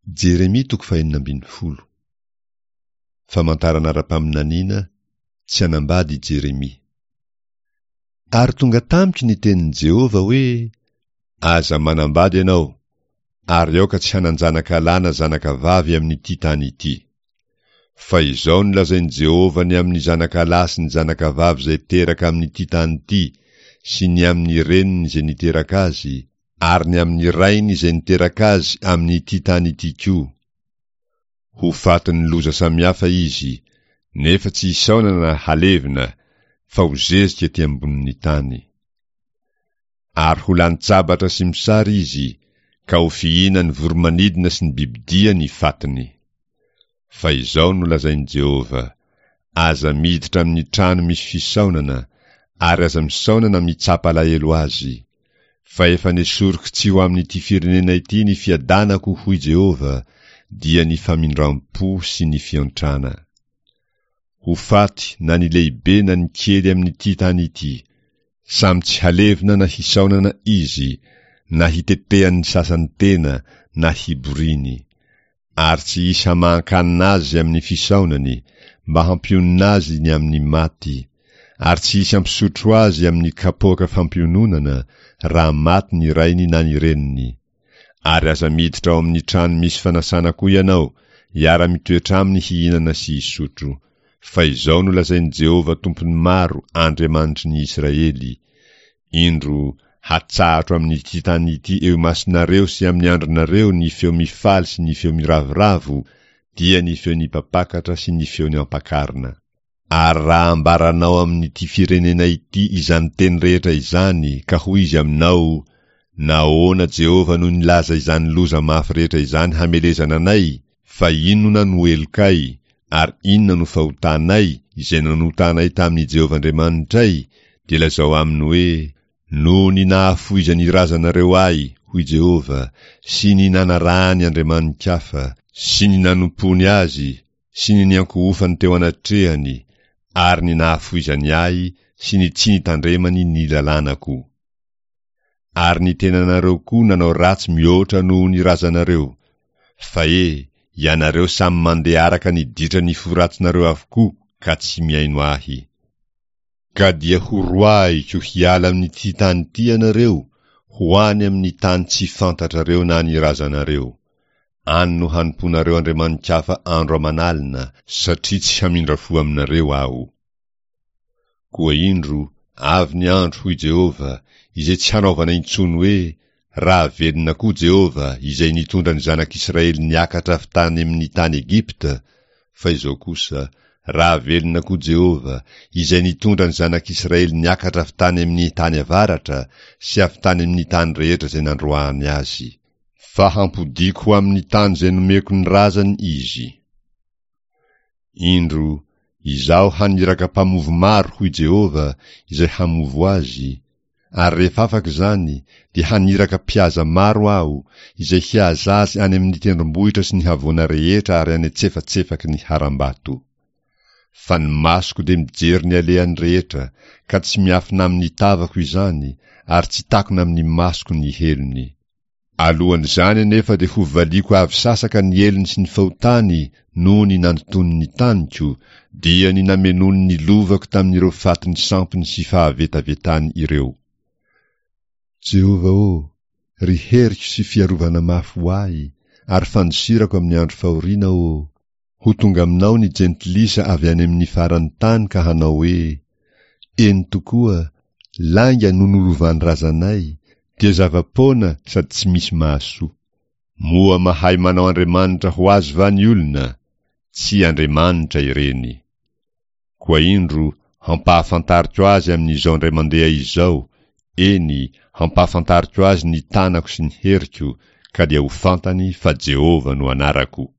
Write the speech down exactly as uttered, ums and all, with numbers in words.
Jeremia toko fahenina ambin'ny folo. Famantarana ara-paminaniana, tsy hanambady i Jeremia. Ary tonga tamiko ny tenin'i Jehovah hoe, Aza manambady ianao, ary aoka tsy hanan-janaka lahy na zanaka vavy amin'ity tany ity. Fa izao no lazain'i Jehovah ny amin'ny zanaka lahy sy ny zanaka vavy izay teraka amin'ity tany ity, sy ny amin'ny reniny izay niteraka azy, ary ny amin'ny rainy izay niteraka azy amin'ity tany ity koa. Ho fatin'ny loza samihafa izy, nefa tsy hisaonana na halevina, fa ho zezika ety ambonin'ny tany. Ary ho lany-tsabatra sy mosary izy, ka ho fihinan'ny voro-manidina sy ny bibidia ny fatiny. Fa izao no lazain'i Jehovah, Aza miditra amin'ny trano misy fisaonana, ary aza misaona na mitsapa alahelo azy. Fa efa nesoriko tsy ho amin'ity firenena ity ny fiadanako, hoy Jehovah, dia ny famindram-po sy ny fiantrana. Ho faty na ny lehibe na ny kely amin'ity tany ity. Samy tsy halevina na hisaonana izy, na hitetehan'ny sasany tena na hiboriany. Ary tsy hisy hamahan-kanina azy amin'ny fisaonany, mba hampionona azy ny amin'ny maty, ary tsy hisy hampisotro azy amin'ny kapoaka fampiononana, raha maty ny rainy na ny reniny. Ary aza miditra ao amin'ny trano misy fanasana koa ianao, hiara-mitoetra aminy hihinana sy hisotro. Fa izao no lazain'i Jehovah Tompon'ny maro, Andriamanitry ny Israely, Indro, hatsahatro amin'ity tany ity eo imasonareo sy amin'ny andronareo ny feo mifaly sy ny feo miravoravo, dia ny feon'ny mpampakatra sy ny feon'ny ampakarina. Ary raha ambaranao amin'ity firenena ity izany teny rehetra izany, ka hoy izy aminao, Nahoana Jehovah no nilaza izany loza mafy rehetra izany hamelezana anay? Fa inona no helokay, ary inona no fahotanay, izay nanotanay tamin'i Jehovah Andriamanitray? Dia lazao aminy hoe, Noho ny nahafoizan'ny razanareo ahy, hoy Jehovah, sy ny nanarahany andriamani-kafa, sy ny nanompoany azy, sy ny niankohofany teo anatrehany, ary ny nahafoizany ahy sy ny tsy nitandremany ny lalànako. Ary ny tenanareo koa nanao ratsy mihoatra noho ny razanareo. Fa e, ianareo samy mandeha araka ny ditran'ny fo ratsinareo avokoa ka tsy mihaino ahy. Ka dia horoahiko hiala amin'ity tany ity ianareo, ho any amin'ny tany tsy fantatrareo na ny razanareo. Any no hanompoanareo andriamani-kafa andro aman'alina, satria tsy hamindra fo aminareo Aho. Koa indro, avy ny andro, hoy Jehovah, izay tsy hanaovana intsony hoe, Raha velona koa Jehovah, izay nitondra ny zanak'Israely niakatra avy tany amin'ny tany Egypta, fa izao kosa, Raha velona koa Jehovah, izay nitondra ny zanak'Israely niakatra avy tany amin'ny tany avaratra sy avy tany amin'ny tany rehetra izay nandroahany azy. Fa hampodiako ho amin'ny tany izay nomeko ny razany izy. Indro, Izaho haniraka mpamovo maro, hoy Jehovah, izay hamovo azy, ary rehefa afaka izany, dia haniraka mpihaza maro Aho, izay hihaza azy any amin'ny tendrombohitra sy ny havoana rehetra ary any an-tsefatsefaky ny harambato. Fa ny masoko dia mijery ny alehany rehetra, ka tsy miafina amin'ny tavako izany, ary tsy takona amin'ny masoko ny helony. Alohan'izany anefa dia hovaliako avy sasaka ny helony sy ny fahotany noho ny nandotoany ny taniko, dia ny namenoany ny lovako tamin'ireo fatin'ny sampiny sy fahavetavetany ireo. Jehovah ô, ry heriko sy fiarovana mafy ho ahy, ary fandosirako amin'ny andro fahoriana ô, Ho tonga aminao ny jentilisa avy any amin'ny faran'ny tany ka hanao hoe, Eny tokoa, lainga no nolovan'ny razanay, dia zava-poana sady tsy misy mahasoa. Moa mahay manao andriamanitra ho azy va ny olona? Tsy andriamanitra ireny. Koa indro, hampahafantariko azy amin'izao indray mandeha izao, eny, hampahafantariko azy ny tanako sy ny heriko, ka dia ho fantany fa Jehovah no anarako.